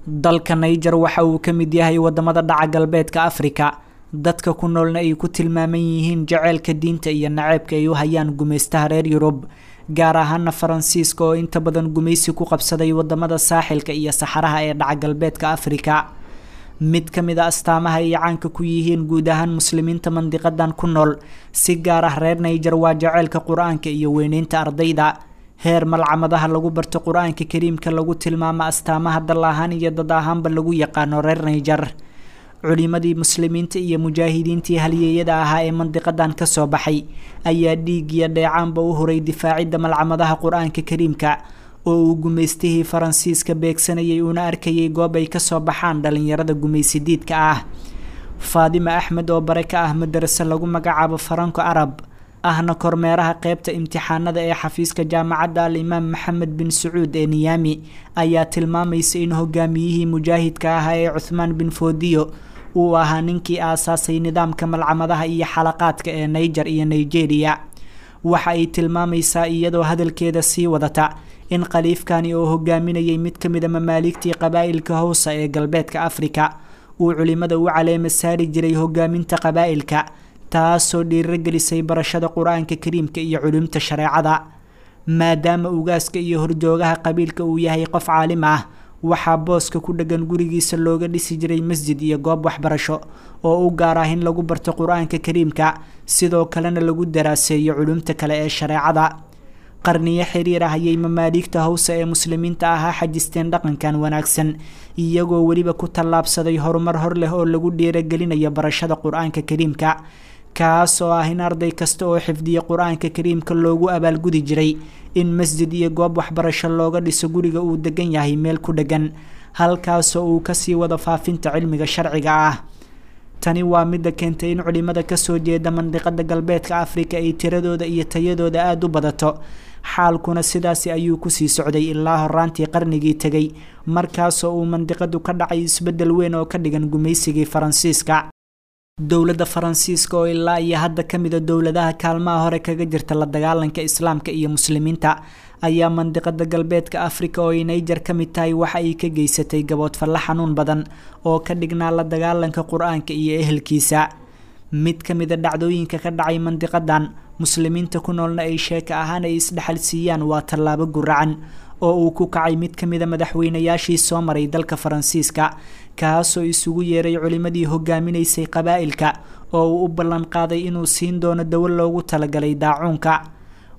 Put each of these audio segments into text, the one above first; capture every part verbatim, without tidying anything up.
Dalka Niger waxa uu ka mid yahay wadamada dhaca galbeedka Afrika, dadka ku noolna ay ku tilmaaman yihiin jaceylka diinta iyo naceebka ay u hayaan gumaystaha reer Yurub, gaar ahaana Faransiiska oo inta badan gumaysi ku qabsaday wadamada saaxilka iyo saxaraha ee dhaca galbeedka Afrika. Mid ka mid a astaamaha ay caanka ku yihiin guud ahaan muslimiinta mandiqadan ku nool, si gaar ah reer Niger, waa jaceylka qur-aanka iyo weyneynta ardayda. Heer malcamadaha lagu barto qur-aanka kariimka lagu tilmaamo astaamaha dal ahaan iyo dad ahaanba lagu yaqaano reer Niger. Culimadii muslimiinta iyo mujaahidiintii halyeeyada ahaa ee mandiqadan kasoo baxay ayaa dhiig iyo dheecaanba u huray difaacidda malcamadaha qur-aanka kariimka oo uu gumaystihii Faransiiska beegsanayay, uuna arkayay goob ay kasoo baxaan dhalinyarada gumaysidiidka ah. Faadima Axmed oo bare ka ah madarase lagu magacaabo Faranko Arab, ahna kormeeraha qeybta imtixaanada ee xafiiska jaamacadda Al-Imaam Maxamed bin Sacuud ee Niyaami, ayaa tilmaamaysa in hogaamiyihii mujaahidka ahaa ee Cuthmaan bin Foodiyo uu ahaa ninkii aasaasay nidaamka malcamadaha iyo xalaqaadka ee Niger iyo Nigeria. Waxa ay tilmaamaysaa iyadoo hadalkeeda sii wadata in khaliifkani oo hogaaminayay mid ka mid a mamaaligtii qabaa'ilka Howsa ee galbeedka Afrika uu culimada u caleema saari jiray hogaaminta qabaa'ilka, taasoo dhiirogelisay barashada qur-aanka kariimka iyo culumta shareecada. Maadaama ugaaska iyo horjoogaha qabiilka uu yahay qof caalim ah, waxaa booska ku dheggan gurigiisa looga dhisi jiray masjid iyo goob waxbarasho oo u gaar ah in lagu barto qur-aanka kariimka, sidoo kalena lagu daraaseeyo culumta kale ee shareecada. Qarniyo xiriir ah ayay mamaaligta Hawsa ee muslimiinta ahaa xajisteen dhaqankan wanaagsan, iyagoo weliba ku tallaabsaday horumar hor leh oo lagu dhiiragelinayo barashada qur-aanka kariimka, kaas oo ah in arday kasta oo xifdiya qur-aanka kariimka loogu abaalgudi jiray in masjid iyo goob waxbarasho looga dhiso guriga uu degan yahay meel ku dhegan, halkaasoo uu kasii wado faafinta cilmiga sharciga ah. Tani waa midda keentay in culimada kasoo jeeda mandiqada galbeedka Afrika ay tiradooda iyo tayadooda aada u badato. Xaalkuna sidaasi ayuu kusii socday ilaa horaantii qarnigii tegay, markaasoo uu mandiqadu ka dhacay isbeddel weyn oo ka dhigan gumaysigii Faransiiska. Dowladda Faransiiska oo ilaa iyo hadda ka mida dowladaha kaalmaha hore kaga jirta la dagaalanka islaamka iyo muslimiinta ayaa mandiqada galbeedka Afrika oo ay Niger ka mid tahay waxa ay ka geysatay gaboodfalle xanuun badan oo ka dhignaa la dagaalanka qur-aanka iyo ehelkiisa. Mid ka mid a dhacdooyinka ka dhacay mandiqadan muslimiinta ku noolna ay sheeka ahaan ay isdhexal siiyaan waa tallaabo guracan oo uu ku kacay mid ka mid a madaxweynayaashii soo maray dalka Faransiiska, kaasoo isugu yeeray culimadii hogaaminaysay qabaa'ilka oo uu u ballan qaaday inuu siin doono dawo loogu talagalay daacuunka.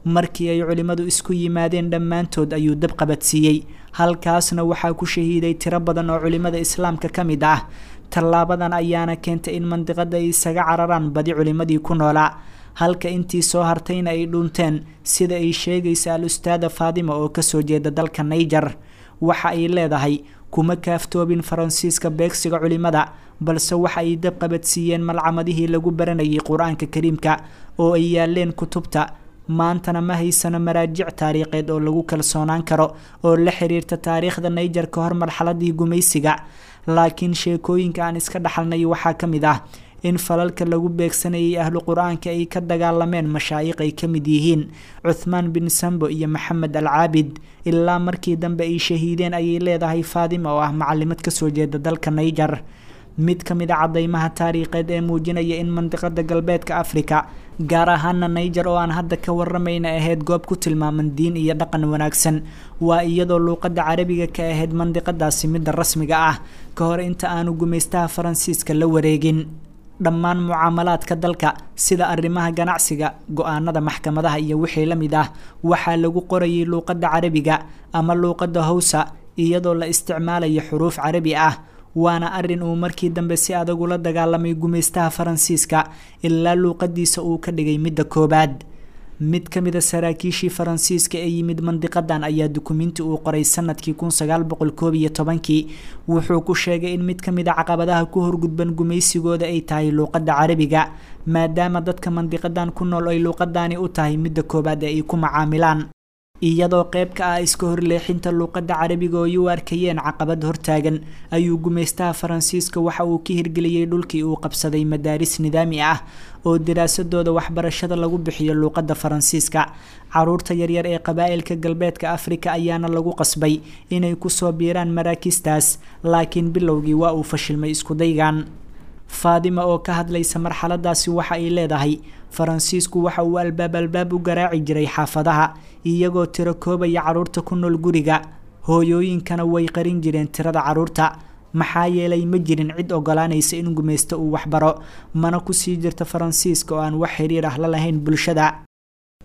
Markii ay culimmadu isku yimaadeen dhammaantood ayuu dab qabadsiiyey, halkaasna waxaa ku shahiiday tiro badan oo culimmada islaamka ka mid ah. Tallaabadan ayaana keentay in mandiqada ay isaga cararaan badi culimmadii ku noolaa, halka intii soo hartayna ay dhunteen, sida ay sheegaysa al-ustaada Faadima oo kasoo jeeda dalka Niger. Waxa ay leedahay, kuma kaaftoobin Faransiiska beegsiga culimada, balse waxa ay dab qabadsiiyeen malcamadihii lagu baranayay qur-aanka kariimka oo ay yaaleen kutubta. Maantana ma haysano maraajic taariikheed oo lagu kalsoonaan karo oo la xiriirta taariikhda Niger ka hor marxaladii gumaysiga, laakiin sheekooyinka aan iska dhaxalnay waxaa ka mid ah in falalka lagu beegsanayay ahlu qur-aanka ay ka dagaalameen mashaayiq ay ka mid yihiin Cuthmaan bin Sambo iyo Maxamed al Caabid, ilaa markii dambe ay shahiideen, ayay leedahay Faadima oo ah macalimad kasoo jeeda dalka Niger. Mid ka mid a caddeymaha taariikheed ee muujinaya in mandiqada galbeedka Afrika, gaar ahaana Niger oo aan hadda ka waramayna, ahayd goob ku tilmaaman diin iyo dhaqan wanaagsan waa iyadoo luuqadda carabiga ka ahayd mandiqadaasi midda rasmiga ah ka hor inta aanu gumaystaha Faransiiska la wareegin. Dhammaan mucaamalaadka dalka sida arrimaha ganacsiga, go-aanada maxkamadaha iyo wixii la mid ah waxaa lagu qorayay luuqadda carabiga ama luuqadda Hawsa iyadoo la isticmaalayo xuruuf carabi ah, waana arrin uu markii dambe si adag ula dagaalamay gumaystaha Faransiiska ilaa luuqadiisa uu ka dhigay midda koobaad. Mid ka mid a saraakiishii Faransiiska ee yimid mandiqadan ayaa dukumiinti uu qoray sanadkii kun sagaal boqol koob iyo tobankii wuxuu ku sheegay in mid ka mid a caqabadaha ku horgudban gumaysigooda ay tahay luuqadda carabiga, maadaama dadka mandiqadan ku nool ay luuqadani u tahay midda koobaad ee ay ku macaamilaan. Iyadoo qayb ka ah iska horleexinta luuqadda carabiga oo ay u arkayeen caqabad hortaagan, ayuu gumaystaha Faransiiska waxa uu ka hirgeliyey dhulkii uu qabsaday madaaris nidaami ah oo daraasadooda waxbarashada lagu bixiyo luuqadda Faransiiska. Caruurta yaryar ee qabaa'ilka galbeedka Afrika ayaana lagu qasbay inay kusoo biiraan maraakiistaas, laakiin bilowgii waa uu fashilmay iskudaygan. Faadima oo ka hadlaysa marxaladaasi waxa ay leedahay, Faransiisku waxa uu albaab albaab u garaaci jiray xaafadaha, iyagoo tiro koobaya carruurta ku nool guriga. Hooyooyinkana way qarin jireen tirada carruurta, maxaa yeelay ma jirin cid ogolaanaysa in gumaysto uu waxbaro, mana kusii jirta Faransiiska oo aan wax xiriir ah la lahayn bulshada.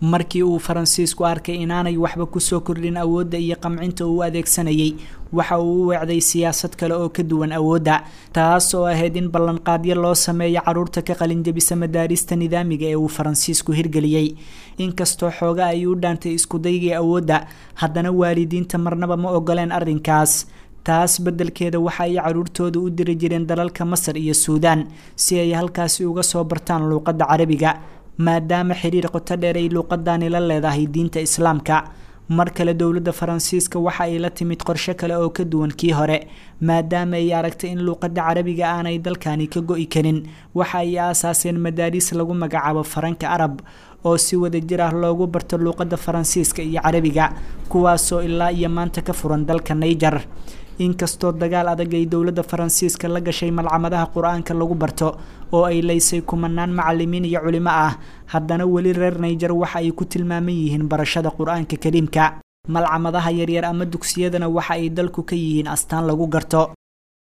Markii uu Faransiisku arkay inaanay waxba kusoo kordhin awoodda iyo qamcinta uu adeegsanayay, waxa uu u weecday siyaasad kale oo ka duwan awoodda, taas oo ahayd in ballanqaadyo loo sameeyo carruurta ka qalinjabisa madaarista nidaamiga ee uu Faransiisku hirgeliyey. Inkastoo xooga ay u dhaantay iskudaygii awoodda, haddana waalidiinta marnaba ma ogoleen arrinkaas. Taas beddelkeeda waxa ay carruurtooda u diri jireen dalalka Masar iyo Suudaan si ay halkaasi uga soo bartaan luuqadda Carabiga, maadaama xiriir qoto dheer ay luuqadani la leedahay diinta Islaamka. Mar kale dowladda Faransiiska waxa ay la timid qorshe kale oo ka duwan kii hore, maadaama ay aragtay in luuqadda Carabiga aanay dalkani ka go'i karin. Waxa ay aasaaseen madaariis lagu magacaabo Faranka Arab oo si wadajir ah loogu barto luuqadda Faransiiska iyo Carabiga, kuwaasoo ilaa iyo maanta ka furan dalka Niger. Inkastoo dagaal adag ay dowladda Faransiiska la gashay malcamadaha Qur-aanka lagu barto oo ay leysay kumanaan macalimiin iyo culimo ah, haddana weli reer Niger waxa ay ku tilmaaman yihiin barashada Qur-aanka Kariimka. Malcamadaha yaryar ama dugsiyadana waxa ay dalku ka yihiin astaan lagu garto.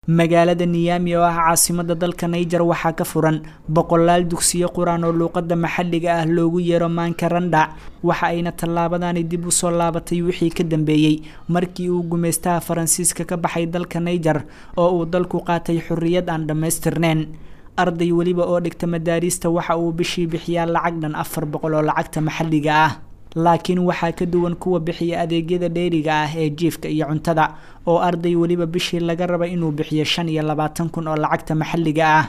Magaalada Niami oo ah caasimadda dalka Niger waxaa ka furan boqolaal dugsiyo qur-aan oo luuqadda maxalliga ah loogu yeero Maankaranda, waxa ayna tallaabadani dib usoo laabatay wixii ka dambeeyey markii uu gumaystaha Faransiiska ka baxay dalka Niger oo uu dalku qaatay xorriyad aan dhammaystirnayn. Arday weliba oo dhigta madaariista waxa uu bishii bixiyaa lacag dhan afar boqol oo lacagta maxalliga ah, laakiin waxaa ka duwan kuwa bixiya adeegyada dheeriga ah ee jiifka iyo cuntada, oo arday weliba bishii laga raba inuu bixiyo shan iyo labaatan kun oo lacagta maxalliga ah.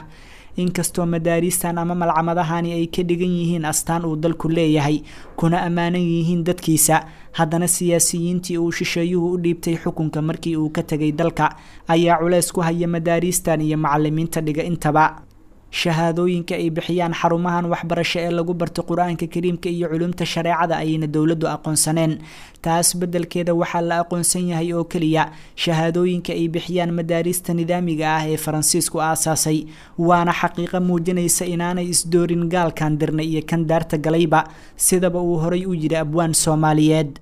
Inkastoo madaariistan ama malcamadahani ay ka dhigan yihiin astaan uu dalku leeyahay kuna ammaanan yihiin dadkiisa, haddana siyaasiyiintii uu shisheeyuhu u dhiibtay xukunka markii uu ka tegay dalka ayaa culeys ku haya madaariistan iyo macalimiinta dhiga intaba. Shahaadooyinka ay bixiyaan xarumahan waxbarasho ee lagu barto Qur-aanka Kariimka iyo culumta shareecada ayayna dowladdu aqoonsaneen. Taas beddelkeeda waxaa la aqoonsan yahay oo keliya shahaadooyinka ay bixiyaan madaarista nidaamiga ah ee Faransiisku aasaasay, waana xaqiiqo muujinaysa inaanay isdoorin gaalkan dirnay iyo kan daarta galayba, sidaba uu horay u yidhi abwaan Soomaaliyeed.